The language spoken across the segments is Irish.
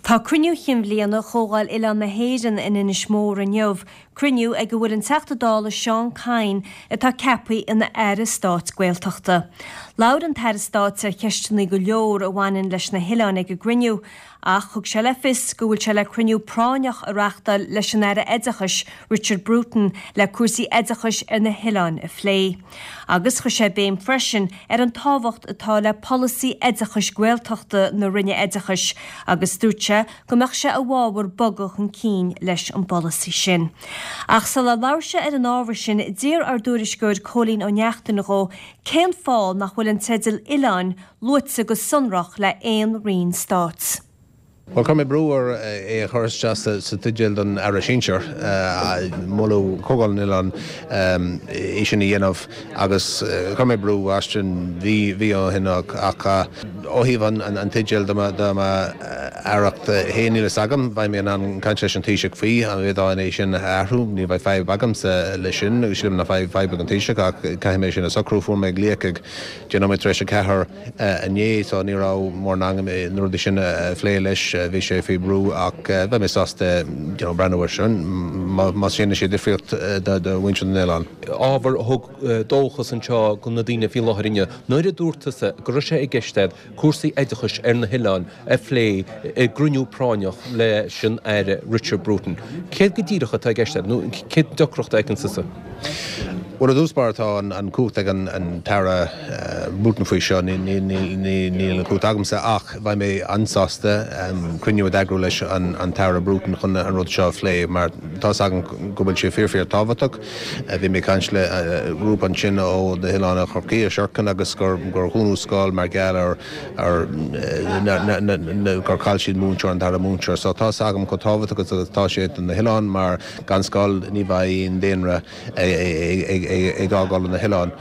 Tá cruinniú chinn bhliana Chomhdháil Oileán na hÉireann in Inis Mór inniu, cruinniú ag a bhfuil an Teachta Dála Seán Kyne atá ceaptha ina Aire Stáit Gaeltachta. Labhair an tAire Stáit ar cheisteanna go leor a bhaineann leis na hoileáin ag an gcruinniú, Ach thug sé le fios go bhfuil sé le cruinniú práinneach a reachtáil leis an Aire Oideachais, Richard Bruton, le cúrsaí oideachais ar na hoileáin a phlé. Agus chuir sé béim freisin ar an tábhacht atá le polasaí oideachais Gaeltachta na Roinne Oideachais agus dúirt sé go mbeadh sé i bhfabhar bogadh chun cinn leis an bpolasaí sin. Ach sular labhair sé ar an ábhar sin, d'iarr ár dtuairisceoir Cóilín Ó Neachtain dhó cén fáth nach bhfuil an teideal 'Oileáin' luaite go sonrach le haon roinn stáit. Bhuel, chuir mé brú air é a chur isteach sa teideal don Aire Sinsear, moladh Comhdháil na nOileán é sin a dhéanamh agus chuir mé brú as sin mhí ó shin ach ó thaobh an teideal do m'aireacht féin níl fhios agam, beidh mé in ann caint leis an Taoiseach faoi, an bhféadfainn é sin a athrú, ní bheidh fadhb agamsa leis sin agus sílim nach mbeidh fadhb ag an Taoiseach ach caithfidh mé sin a socrú. Fuair mé glaoch ag 16 nóiméad tar éis a 4 inné so ní raibh mórán agam na rudaí sin a phlé leis, bhí sé faoi bhrú ach beidh mé sásta you know breathnú air sin más déanann sé difríocht do mhuintir na n-oileán. Ábhar a thug dóchas anseo do na daoine faoi láthair inniu nuair a dúirt tusa go raibh sé i gceist agat cúrsaí oideachais ar na hoileáin a phlé i gcruinniú práinneach leis an Aire Richard Bruton. Céard go díreach atá i gceist agat nó cén deacracht a fheiceann tusa? Bhuel, i dtús báire tá an chumhacht ag an tAire Bruton faoi seo, níl an chumhacht agamsa ach bheidh mé an-sásta cruinniú a d'eagrú leis an tAire Bruton chun an rud seo a phlé mar tá's agam go bhfuil sé fíor fíor tábhachtach. Bhí mé ag caint le grúpa ansin ó na hoileáin Chorcaí, ó Sherkin agus gur dhúnadh scoil mar gheall ar gur chaill siad múinteoir, an dara múinteoir. So tá's agam chomh tábhachtach agus atá sé do na hoileáin mar gan scoil ní bheidh aon daonra ag fhágáil na hoileáin.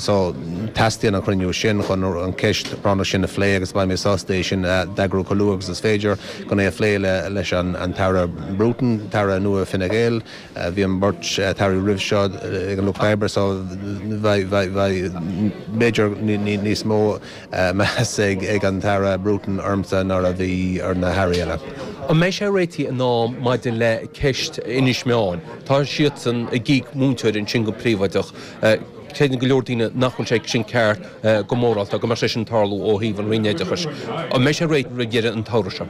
So teastaíonn an chruinniú sin chun an ceist práinneach sin a phlé agus beidh mé sásta é sin a d'eagrú chomh luath agus is féidir chun é a phlé leis an tAire Bruton, tAire nua Fine Gael. Bhí an bheirt tAirí roimh seo ag an Lucht Oibre so bheidh b'fhéidir níos mó meas ag an tAire Bruton ormsa ná a bhí ar na hAirí eile. An mbeidh sé réitithe in am maidir le ceist Inis Meáin? Tá siadsan ag íoc múinteoir ansin go príobháideach. Creideann go leor daoine nach bhfuil sé sin ceart go mórálta, go mbeadh sé sin ag tarlú ó thaobh an Roinn Oideachais. An mbeidh sé réidh roimh dheireadh an tsamhraidh seo?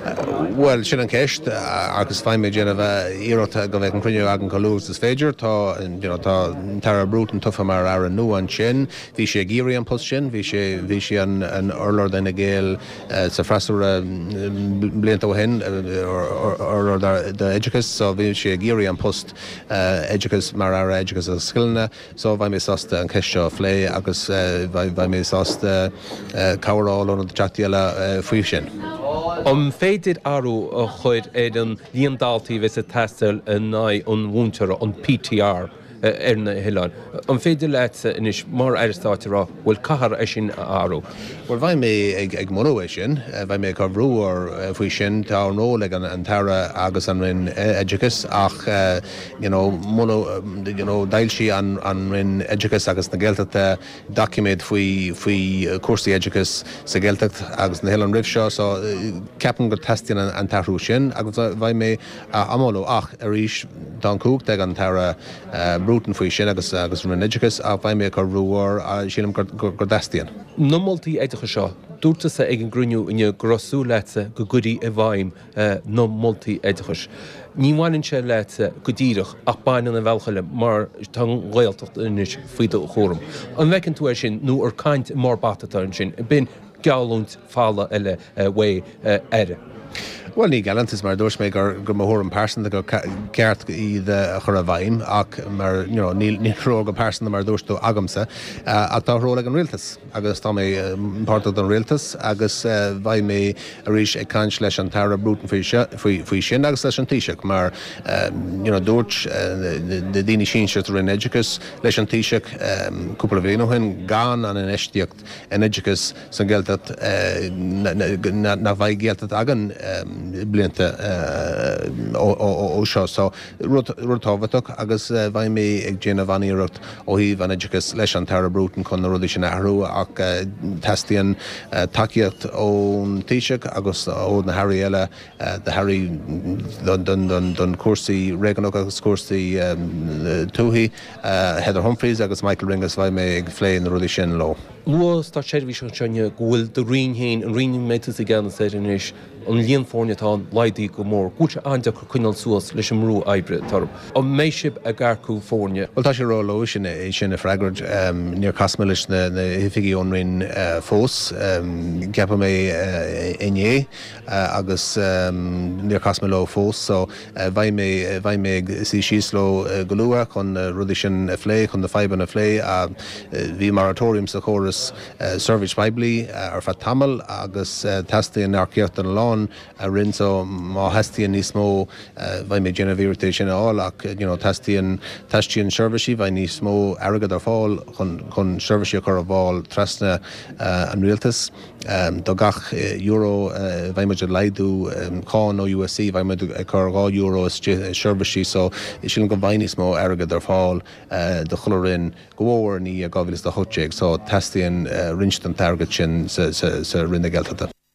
Bhuel, sin an cheist agus beidh mé ag déanamh iarracht go mbeidh an cruinniú againn chomh luath agus is féidir. Tá, you know, tá an tAire Bruton tofa mar Aire nua ansin. Bhí sé ag iarraidh an post sin, bhí sé, bhí sé an urlabhra d'Fhine Gael sa freasúra blianta ó shin, urlabhra d'oideachas, so bhí sé ag iarraidh an post. Oideachais mar Aire Oideachais agus Scileanna so beidh mé sásta an cheist seo a phlé agus beidh mé sásta cabhair a fháil ó na Teachtaí eile faoi sin. An féidir athrú a chur ar an líon daltaí a bheas ag teastáil in aghaidh an mhúinteora, an PTR, ar na hoileáin? An féidir leatsa anois mar Aire Stáit a rá, bhuel caithfear é sin a athrú? Bhuel, beidh mé ag moladh é sin. Beidh mé ag cur brú air faoi sin. Tá an ról ag an tAire agus an Roinn Oideachais ach you know moladh, you know d'fhoilsigh an Roinn Oideachais agus na Gaeltachta doiciméad faoi faoi chúrsaí oideachais sa Ghaeltacht agus na hoileáin roimh seo so ceapaim go teastaíonn an t-athrú sin agus beidh mé á mholadh ach arís tá an chumhacht ag an tAire Bruton faoi sin agus agus an Roinn Oideachais ach beidh mé ag cur brú air, sílim gur go dteastaíonn. Na moltaí oideachais seo, dúirt tusa ag an gcruinniú inniu go raibh súil leatsa go gcuirfí i bhfeidhm na moltaí oideachais. Ní bhaineann sé leatsa go díreach ach baineann ar bhealach eile mar tá an Ghaeltacht anois faoi do chúram. An bhfeiceann tú é sin nó ar caint i mbarr bata atá ansin? B'in geallúint folamh eile uaidh Aire. Bhuel, ní geallúint, mar a dúirt mé gur gur mo thuairim pearsanta gur ceart iad a chur i bhfeidhm ach mar you know níl níl ról go pearsanta mar a dúirt tú agamsa ach tá ról ag an rialtas agus tá mé páirteach don rialtas agus beidh mé arís ag caint leis an tAire Bruton faoi seo faoi faoi sin agus leis an Taoiseach mar you know dúirt na daoine sinsir sa Roinn Oideachais leis an Taoiseach cúpla bliain ó shin gan an infheistíocht in oideachas sa Ghaeltacht nach mbeidh Gaeltacht againn. blianta ó seo. So, rud tábhachtach agus beidh mé ag déanamh an-iarracht ó thaobh an oideachais leis an tAire Bruton chun na rudaí sin a athrú ach teastaíonn tacaíocht ón Taoiseach agus ó na hAirí eile, na hAirí don chúrsaí réigiúnach agus cúrsaí tuaithe, Heather Humphreys agus Michael Ring agus beidh mé ag phlé na rudaí sin leo. Luadh státseirbhíseach anseo inniu go bhfuil do roinn féin, an roinn a mbeidh tusa i gceannas air anois, an líon foirne atá ann laghdaithe go mór, go bhfuil sé an-deacair coinneáil suas leis an mbrú oibre atá orthu. An mbeidh sibh ag earcú foirne? Bhuel, tá sé ró-luath sin é sin a freagairt. Níor chas mé leis na hoifigigh ón Roinn fós. Ceapadh mé inné agus níor chas mé leo fós so beidh mé, beidh mé ag suí síos leo go luath chun na rudaí sin a phlé, chun na fadhbanna a phlé. Bhí moratorium sa chóras seirbhís phoiblí ar feadh tamaill agus teastaíonn earcaíocht in a lán roinn so má theastaíonn níos mó beidh mé ag déanamh iarracht é sin a fháil ach you know teastaíonn, teastaíonn seirbhísí, beidh níos mó airgead ar fáil chun, chun seirbhísí a chur ar fáil trasna an rialtais. Do gach euro a bheidh muid ag laghdú cáin ó USC beidh muid ag cur €2 istigh i seirbhísí so sílim go mbeidh níos mó airgead ar fáil do chuile roinn go mór i ndiaidh 2018 so teastaíonn roinnt den t-airgead sin sa Roinn na Gaeltachta.